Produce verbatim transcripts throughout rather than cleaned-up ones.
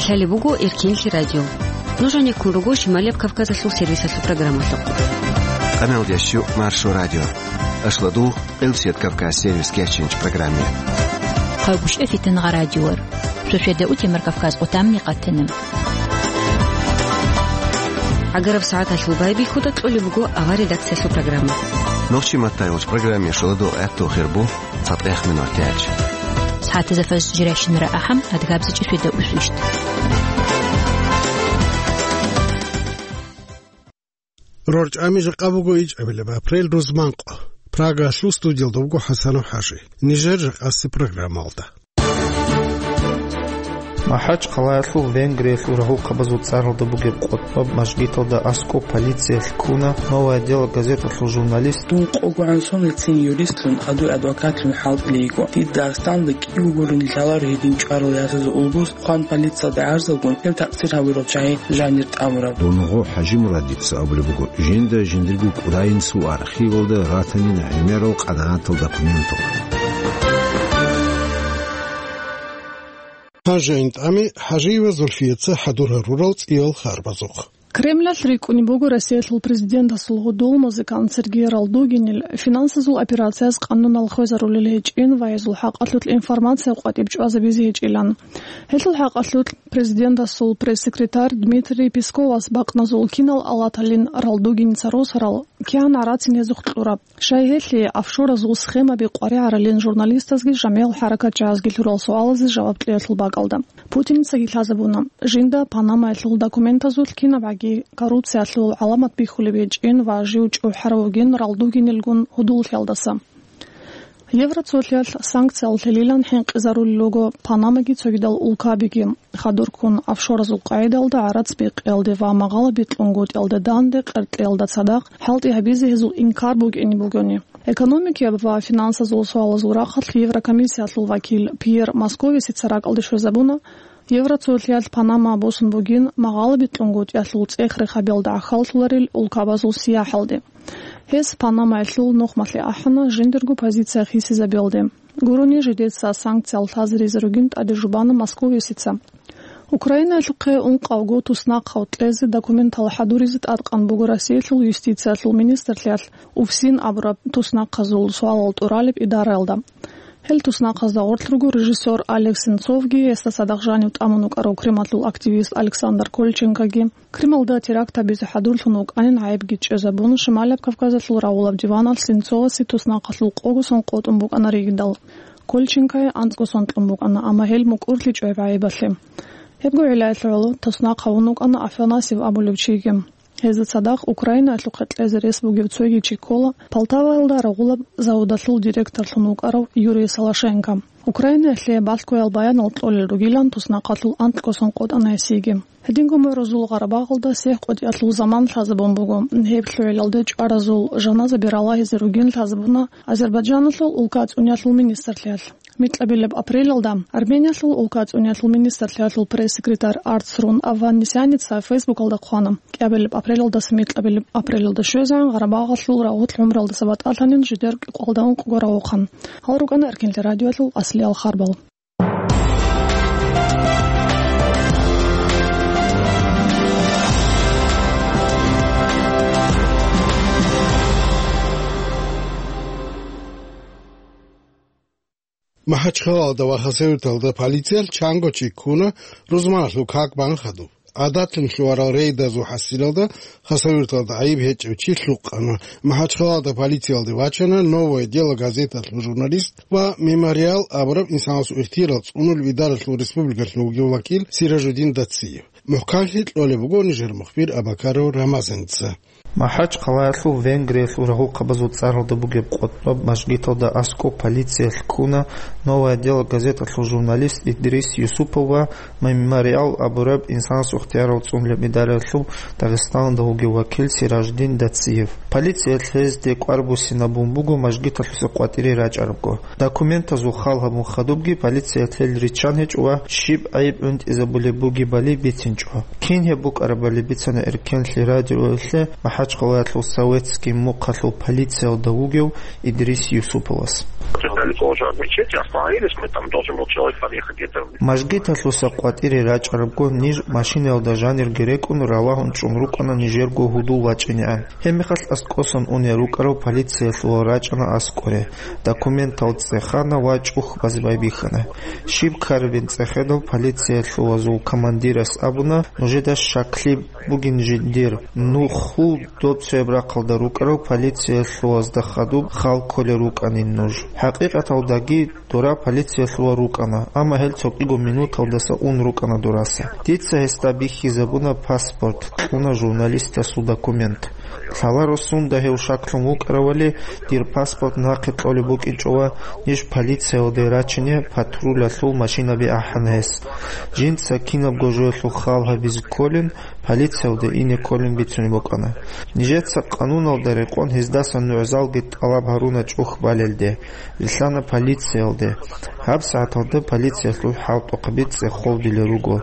Лъалеб буго Эркенлъи радио. Нуж гьанеккун руго Шималияб Кавказалъул сервисалъул программалъухъ. Къамелдящу Маршо радио. Ашладу, Къилсият Кавказ сервис кечинч программе. Хъагушев Фитнагъа радиор. Шошеда утемар Кавказ отамни къатанам. Агараб сагӀаталъул байбихьуда кьолеб буго авар редакциялъул программа. Нохчи маттайгъуч программе шоладу гӀатту хирбу. ЦатӀех минутач. СагӀатазда фажр жирайщинара ахӀам, адгабзичӀи шведа усвищт. РорчӀами жакъа буго ичӀабилеб апрель рузманкъо. Прагалъул студиялда вуго ХӀасанов ХӀажи. Нижер жакъаси программалда. МахӀачхъалаялъул Венгриялъул рагьухъабазул цӀаралда бугеб къотӀоб мажгиталда аскӀоб полициялъ ккуна «Новое дело» газеталъул журналист. Дун къого гӀан сонлъицин юристлъун, гьадуй адвокатлъун хӀалтӀулей йиго. Дид Дагъстанда кӀиго гурин лъаларо гьедин чӀварал ясазул улбуз, хъван полициялда гӀарзалгун, гьеб такъсир гьабурал чагӀи жанир тӀамураб. Дун гъо ХӀажимурадица абулеб буго, жинда жиндирго кӀудайин суарх. Хивалда ратанин гӀемерал къанагӀатал документал. Гьанже ин тӀами ХӀажиева Зульфияца хӀадур гьарурал цӀиял харбазухъ. Кремлалъ рикӀкӀунеб буго Россиялъул президентасул гьудул музыкант Сергей Ралдугинил финансазул операцияз къанунал хвезарулел гьечӀин ва гьезул хӀакъалъулъ информация къватӀиб чӀвазабизе гьечӀилан. Гьелъул хӀакъалъулъ президентасул пресс-секретарь Дмитрий Песковас бакъназул кинал алаталин Ралдугиница росарал кигӀан гӀарацин гьезухъ кьураб. Щай гьелъие офшоразул схемаби къваригӀаралин журналистазги жамигӀал хӀаракатчагӀазги лъурал суалазе жаваб кьеялъул бакӀалда, Путиницаги лъазабуна, жинда Панамаялъул документазулъ кинабгӀаги коррупциялъул гӀаламат бихьулеб гьечӀин ва жив чӀухӀарав вугин Ралдугинилгун гьудуллъиялдаса. Евроцолъиялъ санкциялъ лъелилан хӀинкъизарулел руго Панамаги цогидал улкабиги. Хадурккун офшоразул къагӀидалда гӀарац бикъиялде ва магъала бикьунгутӀиялда данде къеркьиялда цадахъ хӀалтӀи гьабизе гьезул инкар букӀине бугони. Экономикияб ва финансазул суалазул рахъалъ Еврокомиссиялъул вакил Пьер Московисица ракӀалде щвезабуна, Евроцолъиялъ Панама босун бугин магъала бикьунгутӀиялъул цӀех-рехабиялда гӀахьаллъуларел улкабазул сияхӀалде. Гьес Панамаялъул нухмалъе ахӀана жиндирго позиция хисизабиялде. Гурони жидеца санкциялъ лъазаризе ругин тӀаде жубана Московисица. Украинаялъухъе ункъавго туснахъав кьезе документал хӀадуризе тӀадкъан буго Россиялъул юстициялъул министрлъиялъ УФСИН абураб туснахъазул суалал тӀуралеб идараялда. Гьел туснахъазда гъорлъ руго режиссер Олег Сенцовги, гьесда цадахъ жанив тӀамун вукӀарав Кремалъул активист Александр Кольченкоги. Кремалда теракт гьабизе хӀадурлъун вукӀанин гӀайибги чӀезабун, Шималаб Кавказалъул рагъулаб диваналъ Сенцовасе туснахъалъул къого сон къотӀун букӀана ригидал. Кольченкое анцӀго сон кьун букӀана, амма гьел мукӀурлъичӀо гьеб гӀайибалъе. Гьебго гӀиллаялъ гӀоло туснахъ гьавун вукӀана Афанасьев абулев чиги. Гьезда цадахъ Украинаялъухъе кьезе рес бугев цоги чи ккола, Полтаваялда рагъулаб заводалъул директорлъун вукӀарав Юрий Солошенко. Украинаялъе балъгоял баянал кьолел ругилан туснахъалъул анкьго сон къотӀана гьесиеги. Гьединго морозул Гъарабагъалда сихӀ къотӀиялъул заман лъазабун буго. Гьеб лъугӀилалде чӀваразул жаназаби ралагьизе ругин лъазабуна Азербайджаналъул улка цӀуниялъул министрлъиялъ. Микьабилеб апрелалда Армениялъул улка цӀуниялъул министрлъиялъул пресс-секретарь Арцрун Авванесяница Фейсбукалда хъвана, кӀиабилеб апрелалдаса микьабилеб апрелалда щвезегӀан Гъарабагъалъул рагъулъ гӀумруялдаса батӀалъанин жидер кӀикъоялда ункъго рагъухъан. Гьал рукӀана Эркенлъи радиоялъул аслиял харбал. МахӀачхъалалда ва Хасавюрталда полициялъ чанго чи ккуна рузманалъул как бан хадуб. ГӀадатлъун лъугьарал рейдазул хӀасилалда Хасавюрталда гӀайиб гьечӀев чи лъукъана. МахӀачхъалалда полициялде вачана «Новое дело» газеталъул журналист ва «Мемориал» абураб инсанасул ихтияр цӀунулеб идаралъул республикалъул вугев вакил Сиражудин Дациев. МухӀканлъи кьолеб буго нижер мухбир Абакаров Рамазаница. МахӀачхъалаялъул Венгриялъул рагьухъабазул цӀаралда бугеб къотӀноб мажгиталда аскӀоб полициялъ ккуна «Новое дело» газеталъул журналист Идрис Юсупов ва «Мемориал» абураб инсанасул ихтияр цӀунулеб идараялъул Дагъистаналда вугев вакил Сираждин Дациев. Полициялъ гьезде кӀвар буссинабун буго мажгиталъуса къватӀире рачӀарабго. Документазул хал гьабун хадубги полициялъ гьел риччан гьечӀо ва щиб гӀайиб гӀунтӀизабулеб бугебали бицинчӀо. Кин гьеб букӀарабали бицана Эркенлъи радиоялъе МахӀачхъалаялъул Советский мухъалъул полициялда вугев Идрис Юсуповас. Должен отмечать, остановились, мы там должен был человек подъехать где-то. Мажгиталъуса къватӀире рачӀарабго, ниж машинаялда жанирги рекӀун, ралагьун чӀун рукӀана нижерго гьудул вачӀинегӀан. Гьебмехалъ аскӀосан унел рукӀарав полициялъувал рачӀана аскӀоре, документал цӀехана ва чӀух базе байбихьана. Щиб ккарабин цӀехедал полициялъувазул командирас абуна: «Нужеда щаклъи бугин жиндир, нухул доб цояб рахъалда рукӀарав полициялъувазда хадуб хал кколел рукӀанин нуж. ХӀакъикъаталдаги дора полициялъувал рукӀана, амма гьел цо кӀиго минуталдаса ун рукӀана дораса. Дица гьесда бихьизабуна паспорт, кьуна журналистасул документ. Лъаларо сунда гьев щаклъун вукӀаравали, дир паспорт нахъе кьолеб букӀинчӀо ва ниж полициялде рачине патрулялъул машинаби ахӀана гьес. Жинца кинабго жоялъул хал гьабизе кколин, полициялде ине кколин бицунеб букӀана. Нижеца къануналда рекъон гьездасан нугӀзалги тӀалаб гьаруна чӀух балелде, рилълъана полициялде. ГьабсагӀаталда полициялъул хӀалтӀухъаби цӀехолдилел руго,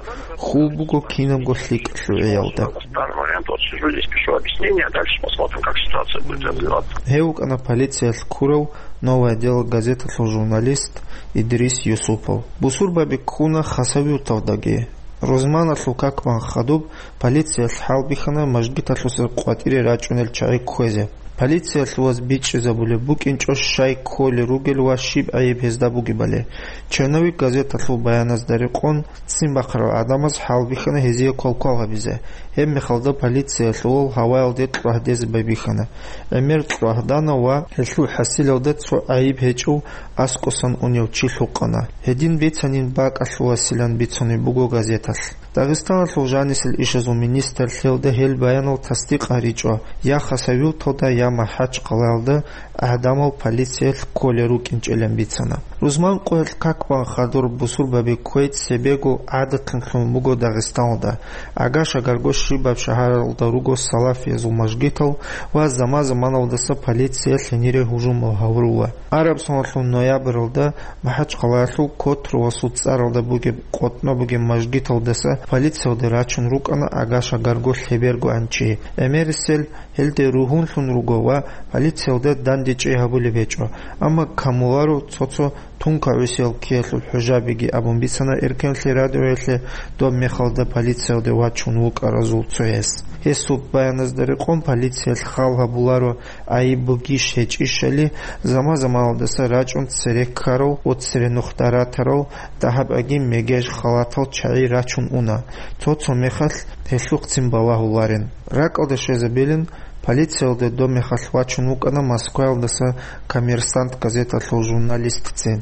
хьул буго кинабго лъикӀ лъугӀиялда». В данный момент вот сижу здесь, пишу объяснение, а дальше посмотрим, как ситуация будет развиваться. Гьев вукӀана полициялъ ккурав «Новое дело» газеталъул журналист Идрис Юсупов. Бусурбаби ккуна Хасавюрталдаги. Рузманалъул как-бан хадуб полициялъ хӀалбихьана мажгиталъуса къватӀире рачӀунел чагӀи кквезе. Полициялъуваз бичӀчӀизабулеб букӀинчӀо щай кколел ругел ва щиб гӀайиб гьезда бугебали. «Черновик» газеталъул баяназда рекъон, ццин бахъарал гӀадамаз хӀалбихьана гьезие квалквал гьабизе. Гьебмехалда полициялъувал гьаваялде кьвагьдезе байбихьана. ГӀемер кьвагьдана ва гьелъул хӀасилалда цо гӀайиб гьечӀев аскӀосан унев чи лъукъана. Гьедин бицанин бакӀалъувасилан бицунеб буго газеталъ. Дагъистаналъул жанисел ишазул министрлъиялда гьел баянал тасдикъ гьаричӀо я Хасавюрталда, я МахӀачхъалаялда гӀадамал полициялъ кколел рукӀинчӀилан бицана. Рузман къоялъ как-бан хадур бусурбаби кквей цебего гӀадатлъун лъун буго Дагъистаналда. Агаш-агарго щибаб шагьаралда руго салафиязул мажгитал ва заман-заманалдаса полиция гьенире гьужумал гьаврула. Араб соналъул ноябралда МахӀачхъалаялъул Котровасул цӀаралда бугеб къотӀно бугеб мажгиталдаса полициялде рачун рукӀана агаш-агарго лъебергоан чи. ГӀемерисел гьелде ругьунлъун руго ва полициялда дандечӀей гьабулеб гьечӀо, амма камуларо цо-цо тункагӀусиял ккеялъул хӀужабиги, абун бицана Эркенлъи радиоялъе доб мехалда полициялде вачун вукӀаразул цояс. Гьесул баяназда рекъон, полициялъ хал гьабуларо гӀайиб бугищ гьечӀищали, заман-заманалдаса рачӀун цере ккарав ва цере нух даратарал дагьаб-аги мегеж халатал чагӀи рачун уна, цо-цо мехалъ гьелъухъцин балагьуларин. РакӀалде щвезабилин, полициялде доб мехалъ вачун вукӀана Москваялдаса «Коммерсант» газеталъул журналистцин.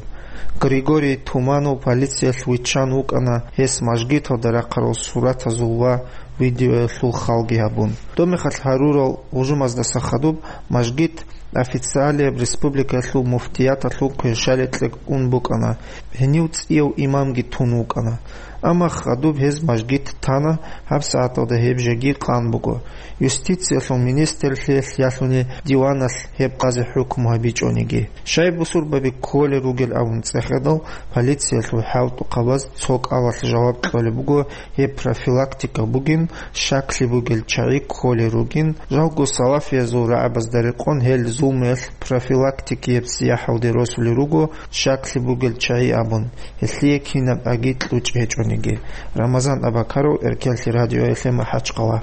Григорий Туманов полициялъ виччан вукӀана, гьес мажгиталда рахъарал суратазул ва видеоялъул халги гьабун. Доб мехалъ гьарурал гьужумаздаса хадуб мажгит официалияб республикаялъул муфтияталъул кверщаликье ун букӀана, гьенив цӀияв имамги тун вукӀана. Амма хадуб гьез мажгит тана, гьабсагӀаталда гьеб жеги къан буго. Юстициялъул министрлъиялъ ялъуни диваналъ гьеб къазе хӀукму гьабичӀониги. Щай бусурбаби кколел ругел абун цӀехедал, полициялъул хӀалтӀухъабаз цо кӀалалъ жаваб кьолеб буго, гьеб профилактика бугин, щаклъи бугел чагӀи кколел ругин, жалго салафиязул рагӀабазда рекъон гьел зулмуялъ профилактикияб сияхӀалде росулел руго, щаклъи бугел чагӀи абун, гьелъие кинаб аги кьучӀ гьечӀониги. Рамазан Абакаров, Эркенлъи радиоялъе, МахӀачхъала.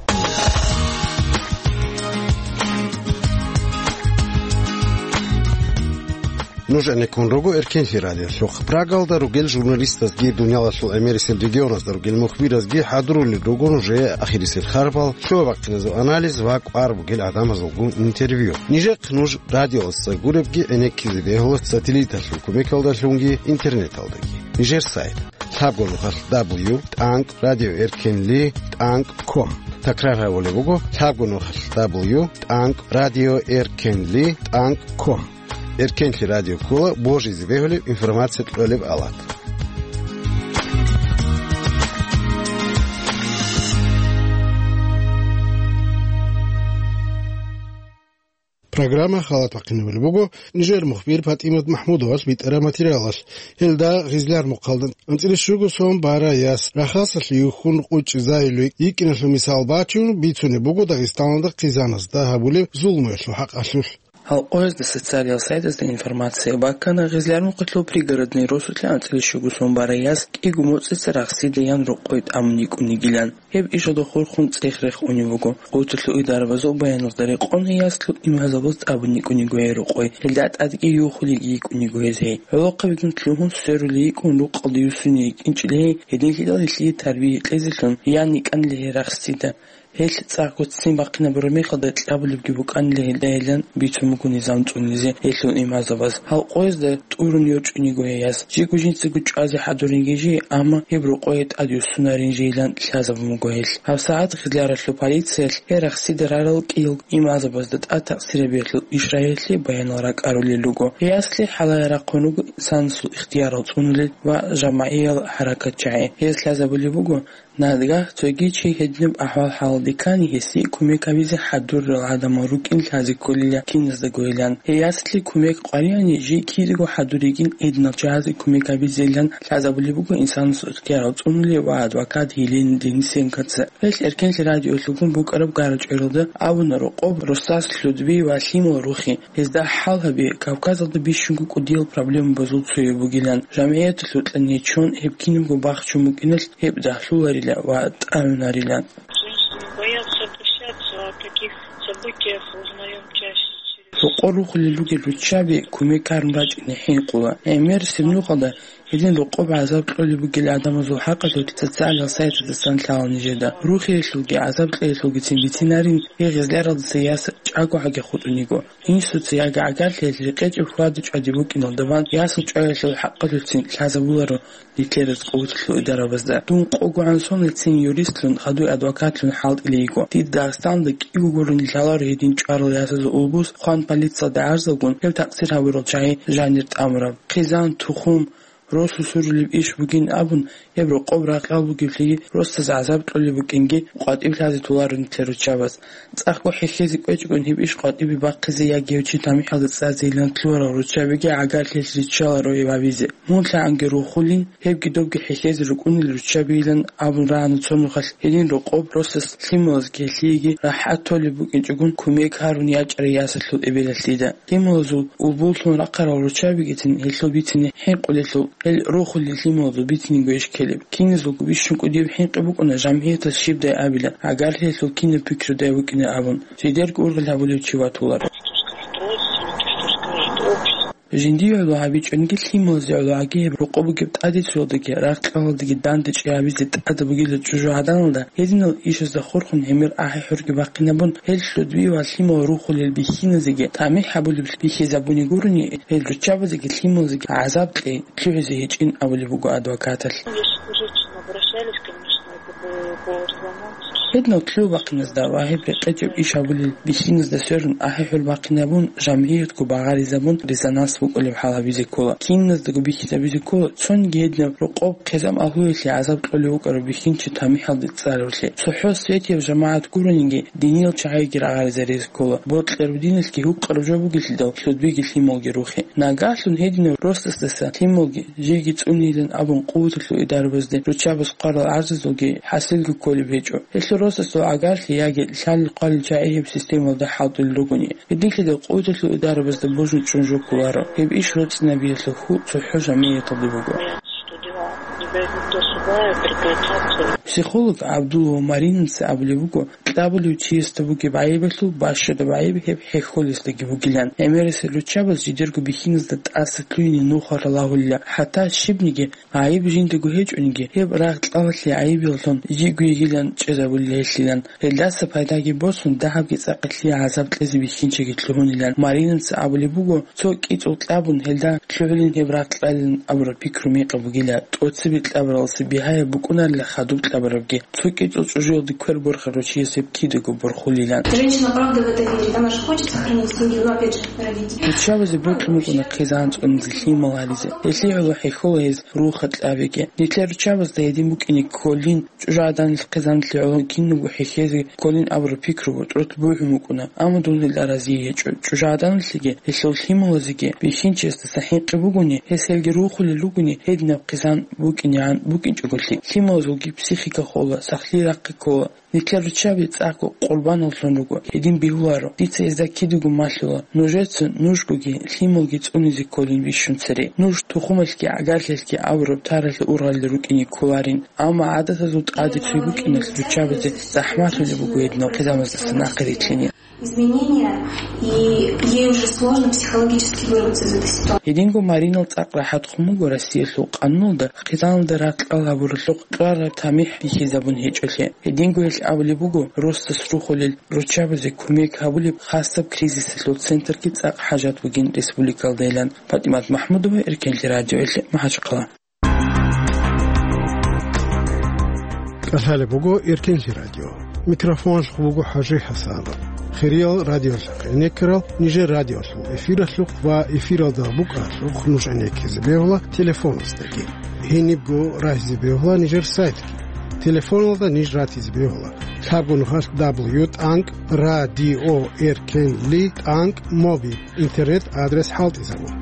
Нуж гӀенеккун руго Эркенлъи радиолъухъ. Прагалда ругел журналистазги, дуниялалъул гӀемерисел регионазда ругел мухбиразги хӀадурулел руго нужее ахирисел харбал, щула-бахъиназул анализ ва кӀвар бугел гӀадамазулгун интервью. Нижехъ нуж радиоялдаса гуребги гӀенеккизе бегьула сателлиталъул кумекалдалъунги интернеталдаги. Нижер сайт: лъабго нухалъ дабл ю тӀанкӀ радио эркенли тӀанкӀ ком. Такрар гьабулеб буго: лъабго нухалъ дабл ю тӀанкӀ радио эркенли тӀанкӀ ком. Эркенлъи радио ккола божизе бегьулеб информация кьолеб алат. Программа халатахъинабулеб буго Нижер мухбир ПатӀимат МахӀмудовас битӀараб материалалъ. Гьелда гъизлар мухъалда анцӀила щуго сон бара яс Рахасалъе юхьун къучӀизайилуй йикӀиналъул мисал бачун бицунеб буго Дагъистаналда хъизаназда гьабулеб зулмуялъул хӀакъалъулъ. Алкъоязда социалиял сайтазда информация баккана, Гъизлярмухъалъул Пригородный росулъа анцӀила щуго сон барай яс кӀиго моцӀица рахсида ян рокъой тӀамун йикӀун йигилан. Гьеб ишалда хурхун цӀех-рех унев вуго. Къуваталъул идарабазул баяназда рекъон, гьей яслу имгьазабаз тӀамун йикӀун йиго гьей рокъой, гьелда тӀадги юхулеги йикӀун йиго гьез гьей. ГӀолохъабигун лъугьун сверулей йикӀун рукъалда юсуне йикӀинчӀила гьей, гьединлъидал гьелъие тарбия кьезелъун ян йикӀанила гьей рахсида. Гьелъ цӀакъго ццин бахъинабураб мехалда кьабулебги букӀанила гьелдайилан бицун буго низам цӀунизе гьелъул имгьазабаз. Гьалкъоязда тӀурун йорчӀун йиго гьей яс. Жиго жинцаго чӀвазе хӀадурин гьей жи, амма гьеб рокъое тӀад юссунарин жийилан лъазабун буго гьелъ. ГьабсагӀат Гъизляралъул полициялъ гьей рахсида рарал кӀиялго имгьазабазда тӀад такъсир гьабиялъул ишрагьиялъе баянал ракӀарулел руго. Гьей яслъи хӀалае рахъун руго инсанасул ихтиярал цӀунулел ва жамагӀиял хӀаракатчагӀи. Гьез лъазабулеб буго, Нагагь цоги чи гьединаб ахӀвал-хӀалалде ккани, гьесие кумек гьабизе хӀадурал гӀадамал рукӀин лъазе кколила киназдаго гьелан. Гьей яслъи кумек къваригӀани, жий кидаго хӀадуригин гьединал чагӀазе кумек гьабизейилан лъазабулеб буго инсанасул ихтиярал цӀунулев ва адвокат Елена Денисенкоца. Гьелъ Эркенлъи радиолъулгун букӀараб гара-чӀваралда абуна рокъоб росас лъудби ва лъимал рухи. Гьезда хӀал гьаби Кавказалда бищунго кӀудиял проблемабазул цояб бугилан, жамгӀияталъул кьаничун гьеб кинабго бахчун букӀиналъ гьеб дагьлъуларила ва тӀагӀунарилан. Женщины боятся обращаться, о таких событиях узнаём чаще через... Рокъор рухулел ругел руччаби кумек гьарун бачӀине хӀинкъула. ГӀемер сирнухалда гьедин рокъоб гӀазаб кьолеб бугел гӀадамазул хӀакъалъулъ социалиял сайтаздасан лъала нижеда. Рухиялъулги гӀазаб кьеялъулгицин бицинарин, гьей Гъизляралдаса яс чӀаго гӀаги хутӀун йиго. Инсуца яги гӀагарлъиялъ рекъечӀеб хьвада-чӀвади букӀиналда бан ясал чӀваялъул хӀакъалъулъцин лъазабуларо нилъер къуваталъул идарабазда. Дун къогогӀан соналъцин юристлъун, хадуй адвокатлъун хӀалтӀилей йиго. Дида Дагъистаналда кӀиго гурони лъаларо гьедин чӀварал ясазул улбуз, хъван полициялда гӀарзалгун, гьеб такъсир гьабурал чагӀи жанир тӀамураб. Хъизан, тухум, росу сурулеб иш бугин абун, гьеб рокъоб ракьал бугеблъиги, росдаса гӀазаб кьолеб букӀинги, къватӀиб лъазе толаро нилъер руччабаз. ЦӀакъго хӀехьезе кӀвечӀогун гьеб иш къватӀибе бахъизе яги гьев чи тамихӀалда цӀазейилан лъугьарал руччабиги гӀагарлъиялъ риччаларо гьев гьабизе. Мун лъагӀанги рухулин, гьебги добги хӀехьезе рукӀунел руччабийилан абун рагӀана цо нухалъ гьедин рокъоб росас лъималазги гьелъиеги рахӀат толеб букӀинчӀогун кумек гьарун ячӀарай ясалъул эбелалъида. Лъималазул улбуллъун рахъарал руччабигицин гьелъул бицине хӀинкъулелъул, гьел рухулел лъималазул бициниго иш ккелеб. Киназулго бищун кӀудияб хӀинкъи букӀуна жамгӀиятас щибдай абила, гӀагарлъиялъул кинаб пикрудай букӀина абун, жидерго ургъел гьабулев чи ватуларо. Жиндие гӀоло гьабичӀониги лъималазе гӀоло гӀаги гьеб рокъоб бугеб тӀадицуялдаги рагъ-кьалалдаги дандечӀей гьабизе тӀадаб бугила чӀужугӀаданалда, гьединал ишазда хурхун гьемер ахӀи-хӀурги бахъинабун, гьел лъудби ва лъимал рухулел бихьиназеги тамихӀ гьабулеб бихьизабуни гурони, гьел руччабазеги лъималазеги гӀазаб кьей лъугӀизе гьечӀин абулеб буго адвокаталъ. Если бы женщины обращались, конечно, это бы было романтика. Гьединал лъугӀ бахъиназда ва гьеб рекъечӀеб иш гьабулел бихьиназда сверун ахӀи-хӀур бахъинабун, жамгӀиятго багъаризабун резонанс букӀулеб хӀал гьабизе ккола. Киназдаго бихьизабизе ккола, цониги гьединаб рокъоб хъизан агьлуялъе гӀазаб кьолев вукӀарав бихьинчи тамихӀалде цӀалевлъи. ЦохӀо светияб жамагӀат гурониги, диниял чагӀиги рагъаризаризе ккола. Бокьараб диналъги гьукъараб жо бугелъидал, лъудбиги лъималги рухе. Нагагьлъун гьединав росасдаса лъималги жийги цӀунейилан абун, къуваталъул идарабазде руччабаз хъварал гӀарзазулги хӀасилги кколеб гьечӀо. Гьелъул росасул гӀагарлъи яги лъалел-хъвалел чагӀи гьеб системалда хӀалтӀулел ругони, гьединлъидал къуваталъул идарабазда божун чӀун жо кколаро. Гьеб иш роцӀцӀинабиялъул хьул цохӀо жамгӀияталде буго. Психолог ГӀабдулла Маринаца абулеб буго, кьабулев чиясда бугеб гӀайибалъул бащадаб гӀайиб гьеб хӀехьолесдаги бугилан. ГӀемерисел руччабаз жидерго бихьиназда тӀаса лъугьине нухал ралагьулила, хӀатта щибниги гӀайиб жиндаго гьечӀониги, гьеб рагъ-кьалалъе гӀайибиялъун жиго йигилан чӀезабулила гьелъилан. Гьелдаса пайдаги босун, дагьабги цӀакъ гьелъие гӀазаб кьезе бихьинчиги лъугьунилан. Маринаца абулеб буго, цо кӀицӀул кьабун гьелда лъугӀулин гьеб рагъ кьалилан абураб пикру мекъаб бугила, тӀоцебе кьабуралдаса бигьаяб букӀунарила хадуб кьабурабги. Цо кӀицӀул чӀужуялде квер борхарав чияс гьеб кидаго борхулилан. Женщина, правда, в это верит. Она же хочет сохранить семью, но опять же родить. Руччабазе бокьун букӀуна хъизан цӀунизе, лъимал гьаризе. Гьелъие гӀоло хӀехьола гьез рухха кьабиги. Нилъер руччабазда гьедин букӀине кколин, чӀужугӀаданалъ хъизаналъе гӀоло кинабго хӀехьезе кколин абураб пикру бутӀрулъ бугьун букӀуна, амма дун гьелда разие гьечӀо. ЧӀужугӀаданалъеги гьелъул лъималазеги бихьинчиясдаса хӀинкъи бугони, гьес гьелги рухулел ругони, гьединаб хъизан букӀин нигӀан букӀинчӀоголъи, лъималазулги психика хола, сахлъи рахъи ккола. Нилъер руччаби цӀакъго къурбаналлъун руго, гьедин бегьуларо. Дица гьезда кидаго малъула. Нужеца нужгоги лъималги цӀунизе кколин бищун цере. Нуж тухумалъги гӀагарлъиялъги абураб таралъе ургъалде рукӀине кколарин. Амма гӀадатазул тӀаде цой букӀиналъ руччабазе захӀмалъулеб буго гьединал хъизамаздаса нахъе рилълъине. Изменения, и ей уже сложно психологически вырваться из этой ситуации. Гьединго Маринал цӀакъ рахӀат хъун буго Россиялъул къануналда хъизаналда ракьал гьабуралъухъ кьвараб тамихӀ бихьизабун гьечӀолъи. Гьединго гьелъ абулеб буго росас рухулел, руччабазе кумек гьабулеб хасаб кризисалъул центрги цӀакъ хӀажат бугин республикалдайилан. ПатӀимат МахӀмудова, Эркенлъи радиоялъе, МахӀачхъала. КӀалъалеб буго Эркенлъи радио. Микрофоналъухъ буго ХӀажи ХӀасанов. Хириял радиолъахъ гӀенеккарал нижер радиолъул эфиралъухъ ва эфиралда букӀаралъухъ нуж гӀенеккизе бегьула телефоназдаги. Гьенибго рагьизе бегьула нижер сайтги. Телефоналда ниж ратизе бегьула: лъабго нухалъ дабл ю тӀанкӀ радио эркенли тӀанкӀ моби. Интернет адрес хӀалтӀизабун.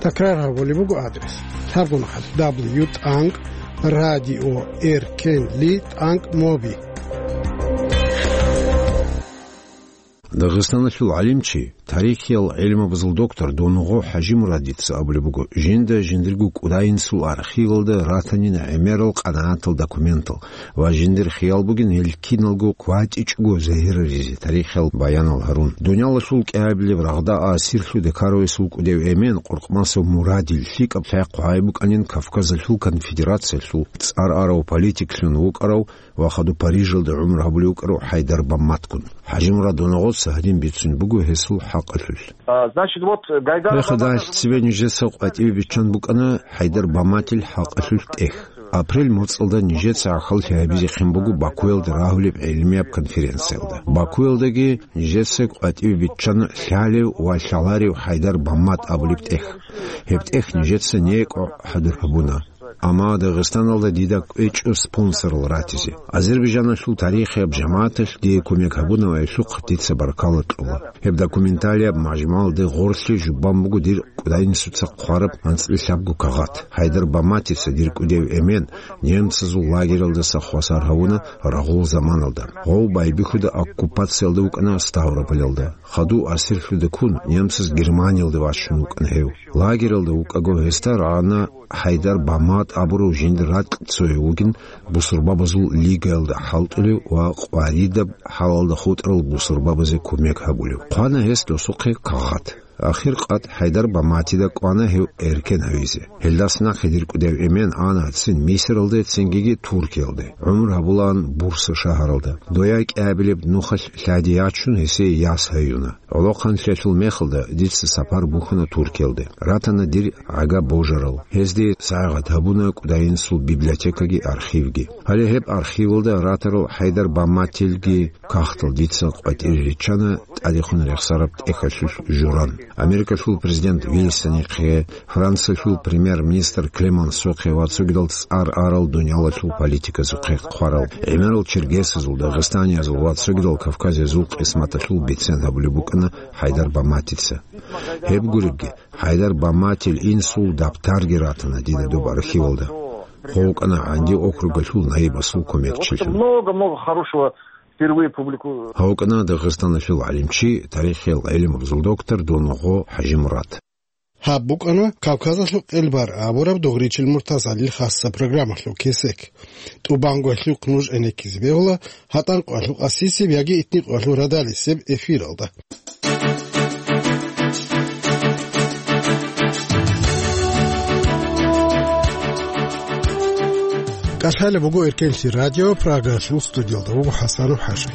Такрар гьабулеб буго адрес: лъабго нухалъ дабл ю тӀанкӀ радио эркенли тӀанкӀ моби. Дагъистаналъул гӀалимчи, тарихиял гӀелмабазул доктор Донгъо ХӀажимурадица абулеб буго, жинда жиндирго кӀудайинсул архивалда ратанин гӀемерал къанагӀатал документал, ва жиндир хиял бугин гьел киналго кватӀичӀого загьираризе тарихиял баянал гьарун. Дуниялалъул кӀиабилеб рагъда асирлъу декаровесул кӀудев эмен Къуркъмасов Мурадил лъикӀаб лъай хъвай букӀанин Кавказалъул конфедерациялъул цӀар арав политиклъун вукӀарав ва хадуб Парижалда гӀумру гьабулев вукӀарав ХӀайдар Бамматгун. ХӀажимурад Донгъоца гьадин бицун буго гьесул хӀакъалъулъ. А, значит, вот, Гайдар Рехадалъ Абабаков цебе нижеца къватӀиве биччан букӀана ХӀайдар Бамматил хӀакъалъулъ тӀех. Апрель моцӀалда нижеца гӀахьаллъи гьабизехъин буго Бакуялда рагьулеб гӀелмияб конференциялда. Бакуялдаги нижеца къватӀиве биччана лъалев ва лъаларев ХӀайдар Баммат абулеб тӀех. Гьеб тӀех нижеца некӀо хӀадур гьабуна. Амма Дагъистаналда дида кӀвечӀо спонсорал ратизе. Азербайджаналъул тарихияб жамагӀаталъ дие кумек гьабуна ва гьелъухъ дица баркала кьола. Гьеб документалияб мажмугӀалде гъорлъе жубан буго дир кӀудайинсуца хъвараб анцӀила лъабго кагъат. ХӀайдар Бамматица, дир кӀудев эмен, немцазул лагералдаса хвасар гьавуна рагъул заманалда. Гъов байбихьуда оккупациялда вукӀана Ставрополалда. Хадув асирлъуда ккун, немцаз Германиялде вачун вукӀана гьев. Лагералда вукӀаго гьесда рагӀана ХӀайдар Баммат абурав жиндир ракь цояв вугин, бусурбабазул лигаялда хӀалтӀулев ва къваридаб хӀалалда хутӀарал бусурбабазе кумек гьабулев. Хъвана гьес досухъе кагъат. Ахир къад ХӀайдар Бамматида кӀвана гьев эркен гьавизе. Гьелдаса нахъе дир кӀудев эмен ана цин Мисиралде, цингиги Туркиялде. ГӀумру гьабулаан Бурса шагьаралда. Дояй кӀиабилеб нухалъ лъади ячун, гьесие яс гьаюна. ГӀолохъанлъиялъул мехалда дица сапар бухьана Туркиялде. Ратана дир гӀага божарал. Гьезде сагӀат гьабуна кӀудайинсул библиотекаги архивги. Гьале гьеб архивалда ратарал ХӀайдар Бамматилги кагътал дица къватӀире риччана тӀадехун рехсараб тӀехьалъулъ журан. Америкалъул президент Вилсонихъе, Франциялъул премьер-министр Клемансохъе ва цогидал цӀар арал дуниялалъул политиказухъе хъварал гӀемерал черкесазул, дагъистаниязул ва цогидал кавказиязул къисматалъул бицен гьабулеб букӀана ХӀайдар Бамматица. Гьеб гуребги, ХӀайдар Бамматил инсул дабтарги ратана дида доб архивалда. Хъо вукӀана ГӀанди округалъул наибасул кумекчилъун. Много-много хорошего впервые публику- Гьав вукӀана Дагъистаналъул гӀалимчи, тарихиял гӀелмабазул доктор Донгъо ХӀажимурад. Гьаб букӀана Кавказалъул къелбар абураб Дугъричил Муртазалил хасса программалъул кесек. ТӀубанго гьелъухъ нуж гӀенеккизе бегьула гьатӀан къоялъул къасисеб яги итни къоялъул радалисеб эфиралда. КӀалъалеб буго Эркенлъи радио, Прагалъул студиялда вуго ХӀасанов ХӀажи.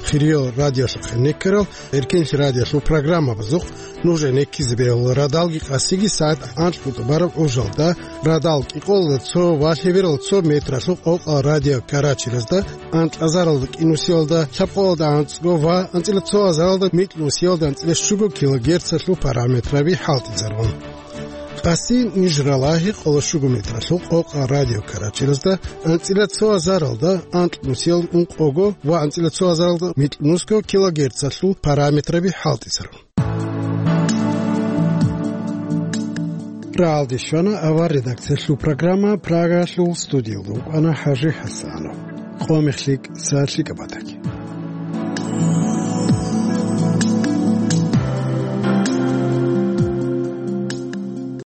Хириял радиолъухъ гӀенеккарал Эркенлъи радиолъул программабазухъ нуж гӀенеккизе бегьула радалги къасиги сагӀат анкьго тӀубараб гӀужалда, радал кӀикъоялда цо ва лъеберал цо метралъул къокъал радиокарачелазда, анкьазаралда кӀинусиялда лъабкъоялда анцӀго ва анцӀила цо азаралда микьнусиялда анцӀила щуго килогерцалъул параметраби хӀалтӀизарун. Къаси ниж ралагьи къоло щуго метралъул къокъал радиокарачелазда анцӀила цо азаралда анкьнусиял ункъого ва анцӀила цо азаралда микьнусго килогерцалъул параметраби хӀалтӀизарун. Рагьалде щвана авар редакциялъул программа, Прагаялъул студиялда вукӀана ХӀажи ХӀасанов. Къо-мех лъикӀ, сагӀат лъикӀаб батаги.